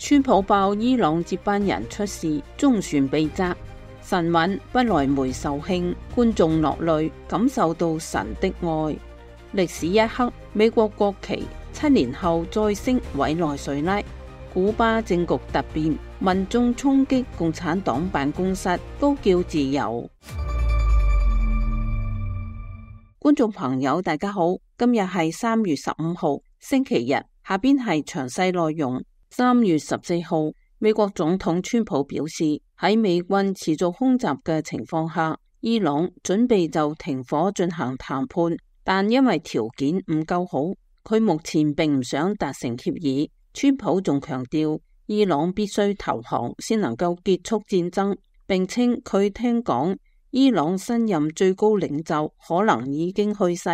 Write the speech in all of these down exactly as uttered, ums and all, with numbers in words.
川普爆伊朗接班人出事，中船被砸，神韻不來梅售罄，觀眾落淚，感受到神的愛。歷史一刻，美國國旗七年後再升委內瑞拉，古巴政局突變，民眾衝擊共產黨辦公室，高叫自由。觀眾朋友大家好，今日係三月十五號星期日，下邊係詳細內容。三月十四號，美國總統川普表示，喺美軍持續空襲嘅情況下，伊朗準備就停火進行談判，但因為條件唔夠好，佢目前並唔想達成協議。川普仲強調，伊朗必須投降先能夠結束戰爭，並稱佢聽講伊朗新任最高領袖可能已經去世。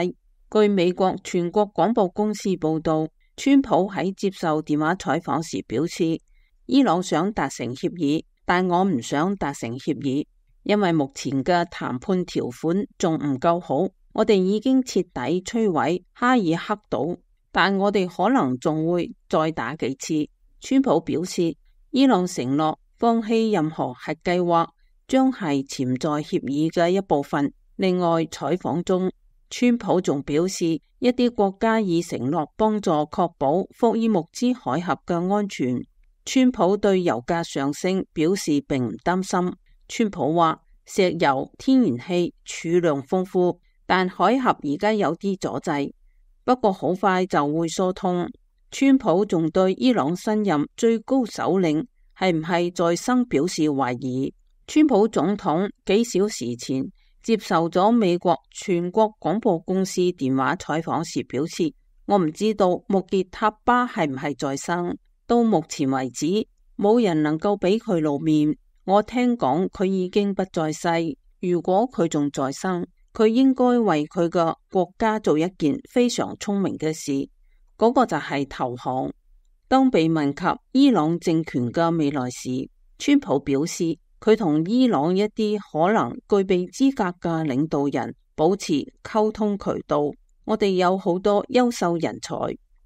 據美國全國廣播公司報道，川普喺接受電話採訪時表示，伊朗想達成協議，但我唔想達成協議，因為目前嘅談判條款仲唔夠好。我哋已經徹底摧毀哈爾克島，但我哋可能仲會再打幾次。川普表示，伊朗承諾放棄任何核計劃，將係潛在協議嘅一部分。另外，採訪中，川普仲表示，一啲國家已承諾幫助確保霍爾木茲海峽嘅安全。川普對油價上升表示並唔擔心。川普話，石油、天然氣儲量豐富，但海峽而家有啲阻滯，不過好快就會疏通。川普仲對伊朗新任最高首領係唔係在生表示懷疑。川普總統幾小時前接受咗美國全國廣播公司電話採訪時表示，我唔知道穆傑塔巴係唔係在生，到目前為止冇人能夠俾佢露面。我聽講佢已經不在世，如果佢仲在生，佢應該為佢嘅國家做一件非常聰明嘅事，嗰個就係投降。當被問及伊朗政權嘅未來時，川普表示，佢同伊朗一啲可能具備資格嘅領導人保持溝通渠道，我哋有好多優秀人才，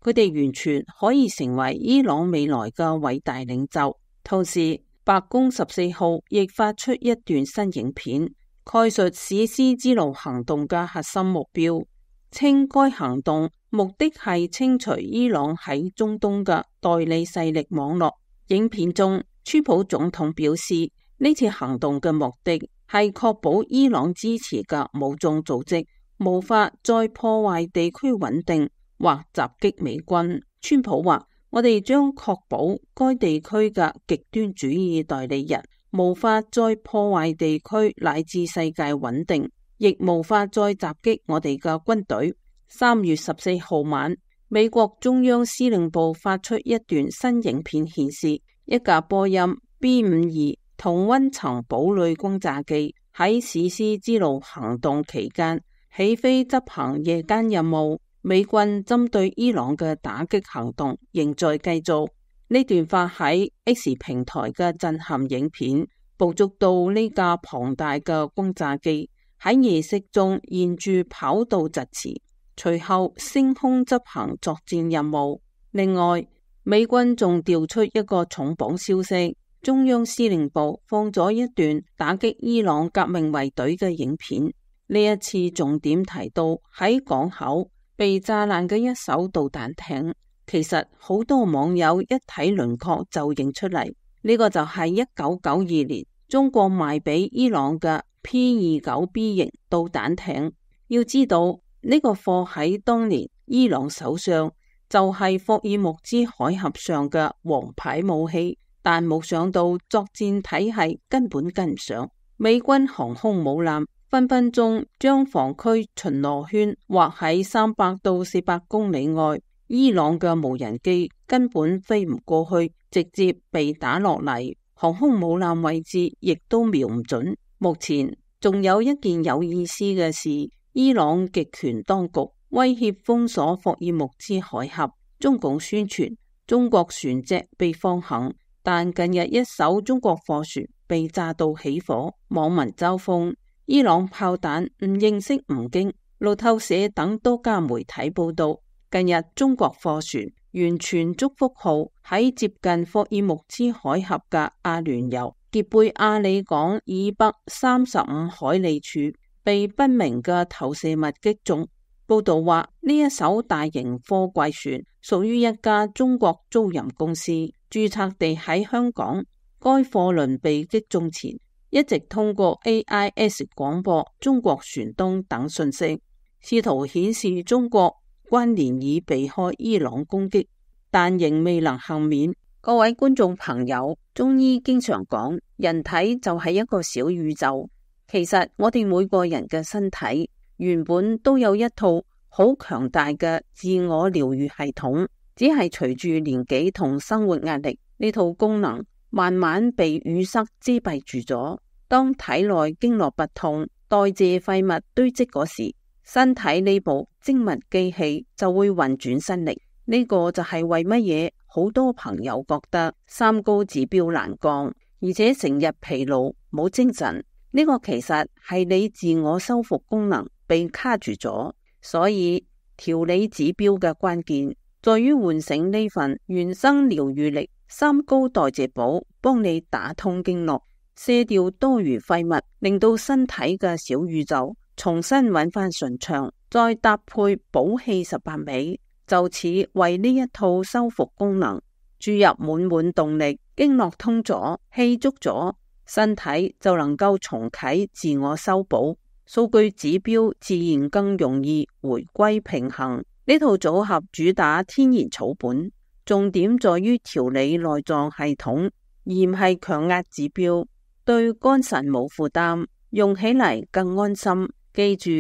佢哋完全可以成為伊朗未來嘅偉大領袖。同時，白宮十四號亦發出一段新影片，概述史詩之路行動嘅核心目標，稱該行動目的係清除伊朗喺中東嘅代理勢力網絡。影片中，川普總統表示，呢次行動嘅目的係確保伊朗支持嘅武裝組織無法再破壞地區穩定或襲擊美軍。川普話，我哋將確保該地區嘅極端主義代理人無法再破壞地區乃至世界穩定，亦無法再襲擊我哋嘅軍隊。三月十四號晚，美國中央司令部發出一段新影片，顯示一架波音 B 五二同溫層堡壘轟炸機喺史詩之路行動期間起飛執行夜間任務。美軍針對伊朗嘅打擊行動仍在繼續。呢段發喺 X 平台嘅震撼影片捕捉到呢架龐大嘅轟炸機喺夜色中沿住跑道疾馳，隨後升空執行作戰任務。另外，美軍仲調出一個重磅消息，中央司令部放咗一段打擊伊朗革命衛隊嘅影片。呢一次重點提到喺港口被炸爛嘅一艘導彈艇，其實好多網友一睇輪廓就認出嚟，呢、這個就係一九九二年中國賣俾伊朗嘅 P 二九 B 型導彈艇。要知道呢、這個貨喺當年伊朗手上就係霍爾木茲海峽上嘅王牌武器。但冇想到作戰體系根本跟唔上，美軍航空母艦分分鐘將防區巡邏圈劃喺三百到四百公里外，伊朗嘅無人機根本飛唔過去，直接被打落嚟，航空母艦位置亦都瞄唔準。目前仲有一件有意思嘅事，伊朗極權當局威脅封鎖霍爾木茲海峽，中共宣傳中國船隻被放行。但近日一艘中國貨船被炸到起火，網民嘲諷伊朗炮彈唔認識吳京。路透社等多家媒體報道，近日中國貨船完全祝福號喺接近霍爾木茲海峽嘅阿聯酋傑貝亞里港以北三十五海里處被不明嘅投射物擊中。報道話，呢一艘大型貨櫃船屬於一家中國租賃公司，註冊地喺香港。該貨輪被擊中前，一直通過 A I S 廣播中國船東等信息，試圖顯示中國軍連已避開伊朗攻擊，但仍未能幸免。各位觀眾朋友，中醫經常講，人體就係一個小宇宙。其實我哋每個人嘅身體原本都有一套好強大嘅自我療愈系統，只係隨住年紀同生活壓力，呢套功能慢慢被淤塞遮蔽住咗。當體內經絡不通，代謝廢物堆積嗰時，身體呢部精密機器就會運轉新力。呢個就係為乜嘢好多朋友覺得三高指標難降，而且成日疲勞冇精神。呢個其實係你自我修復功能被卡住咗。所以調理指標嘅關鍵在於喚醒呢份原生療愈力。三高代謝寶幫你打通經絡，卸掉多餘廢物，令到身體嘅小宇宙重新揾翻順暢，再搭配補氣十八味，就此為呢一套修復功能注入滿滿動力。經絡通咗，氣足咗，身體就能夠重啟自我修補，數據指標自然更容易回歸平衡。呢套組合主打天然草本，重點在於調理內臟系統，而唔係強壓指標，對肝腎冇負擔，用起嚟更安心。記住，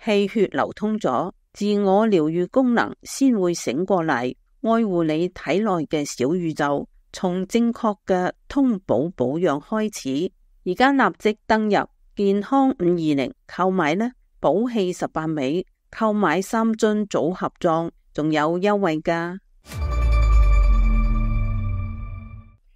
氣血流通咗，自我療愈功能先會醒過嚟，愛護你體內嘅小宇宙。從正確嘅通補保養開始，而家立即登入健康五二零購買呢，補氣十八味，購買三樽組合裝，仲有優惠㗎。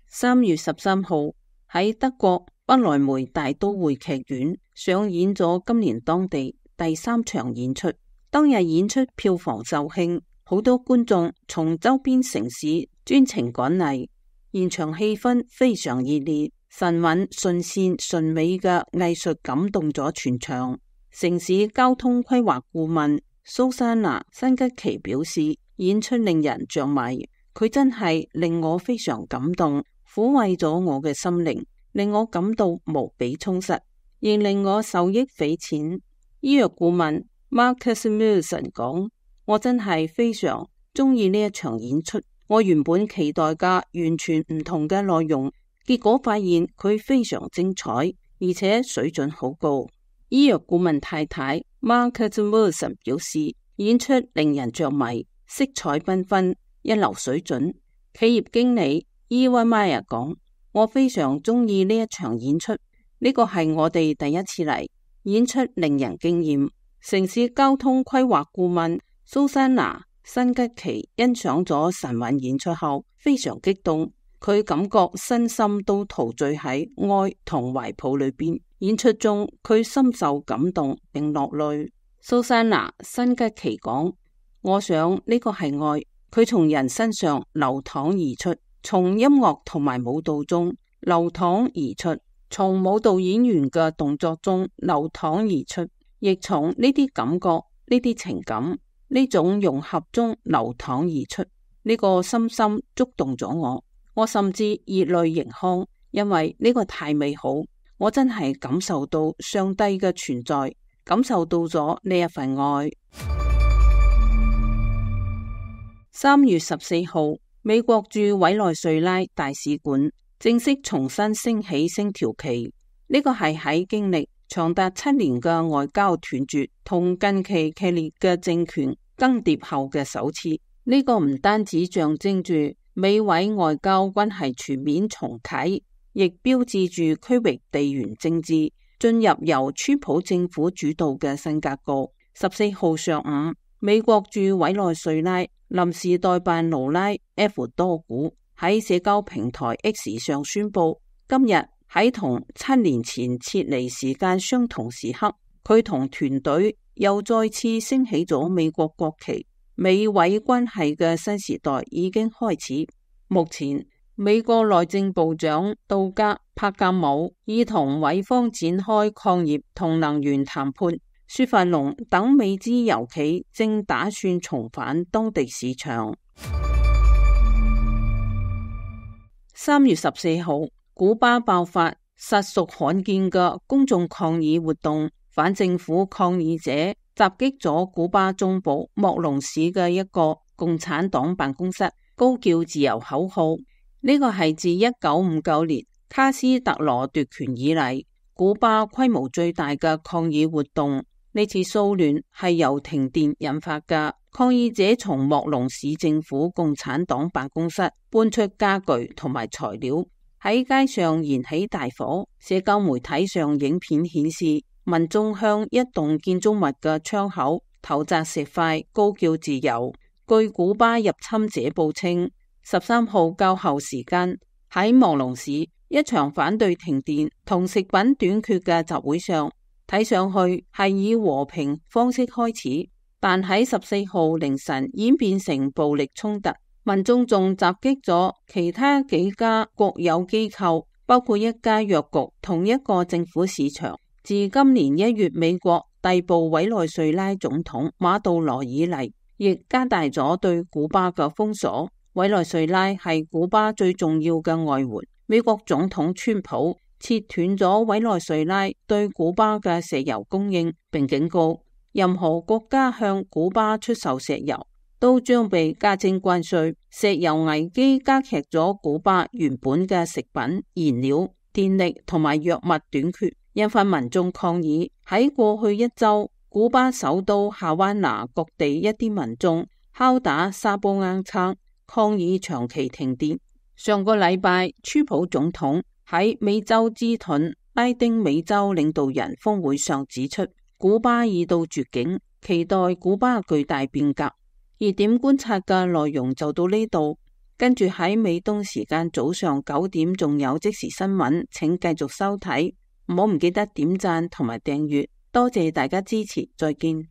三月十三號喺德國不萊梅大都會劇院上演咗今年當地第三場演出。當日演出票房售罄，好多觀眾從周邊城市專程趕嚟，現場氣氛非常熱烈，神韻順線順美嘅藝術感動咗全場。城市交通規劃顧問蘇珊娜辛吉奇表示，演出令人着迷，佢真係令我非常感動，撫慰咗我嘅心靈，令我感到無比充實，亦令我受益匪淺。醫藥顧問 Marcus Wilson 講，我真係非常中意呢一場演出，我原本期待嘅完全唔同嘅內容，結果發現佢非常精彩，而且水準好高。醫藥顧問太太 Marcus Wilson 表示，演出令人着迷，色彩繽紛，一流水準。企業經理伊溫邁亞講，我非常中意呢一場演出，呢個係我哋第一次嚟，演出令人驚艷。城市交通規劃顧問蘇珊娜辛吉奇欣賞咗神韻演出後非常激動，佢感覺身心都陶醉喺愛同懷抱裏邊。演出中佢深受感動並落淚。蘇珊娜辛吉奇講，我想呢個係愛，佢從人身上流淌而出，從音樂同埋舞蹈中流淌而出，從舞蹈演員嘅動作中流淌而出，亦從呢啲感覺、呢啲情感、呢種融合中流淌而出。呢個深深觸動咗我，我甚至熱淚盈眶，因為呢個太美好，我真係感受到上帝嘅存在，感受到咗呢一份愛。三月十四號，美國駐委內瑞拉大使館正式重新升起星條旗，呢個係喺經歷長達七年嘅外交斷絕同近期劇烈嘅政權更迭後嘅首次。呢、這個唔單止象徵住美委外交關係全面重啟，亦標誌住區域地緣政治進入由川普政府主導嘅新格局。十四號上午，美國駐委內瑞拉臨時代辦勞拉 F 多古喺社交平台 X 上宣布，今日喺同七年前撤離時間相同時刻，佢同團隊又再次升起咗美國國旗。美委關係嘅新時代已經開始。目前，美國內政部長杜格帕格姆已同委方展開礦業同能源談判。雪佛龍等美資油企正打算重返當地市場。三月十四號，古巴爆發實屬罕見嘅公眾抗議活動，反政府抗議者襲擊咗古巴中部莫隆市嘅一個共產黨辦公室，高叫自由口號。呢個係自一九五九年卡斯特羅奪權以嚟，古巴規模最大嘅抗議活動。呢次騷亂係由停電引發嘅，抗議者從莫隆市政府共產黨辦公室搬出家具同埋材料，喺街上燃起大火。社交媒體上影片顯示，民眾向一棟建築物嘅窗口投擲石塊，高叫自由。據古巴入侵者報稱，十三號較後時間喺莫隆市一場反對停電同食品短缺嘅集會上，睇上去係以和平方式開始，但喺十四號凌晨演變成暴力衝突，民眾仲襲擊咗其他幾家國有機構，包括一家藥局同一個政府市場。自今年一月美國逮捕委內瑞拉總統馬杜羅以嚟，亦加大咗對古巴嘅封鎖。委內瑞拉係古巴最重要嘅外援，美國總統川普切斷咗委內瑞拉對古巴嘅石油供應，並警告任何國家向古巴出售石油都將被加徵關稅。石油危機加劇咗古巴原本嘅食品、燃料、電力同埋藥物短缺，引發民眾抗議。喺過去一周，古巴首都夏灣拿各地一啲民眾敲打沙波罌罉，抗議長期停電。上個禮拜，川普總統喺美洲之盾拉丁美洲領導人峰會上指出，古巴已到絕境，期待古巴巨大變革。熱點觀察嘅內容就到呢度，跟住喺美東時間早上九點仲有即時新聞，請繼續收睇，唔好唔記得點讚同埋訂閱，多謝大家支持，再見。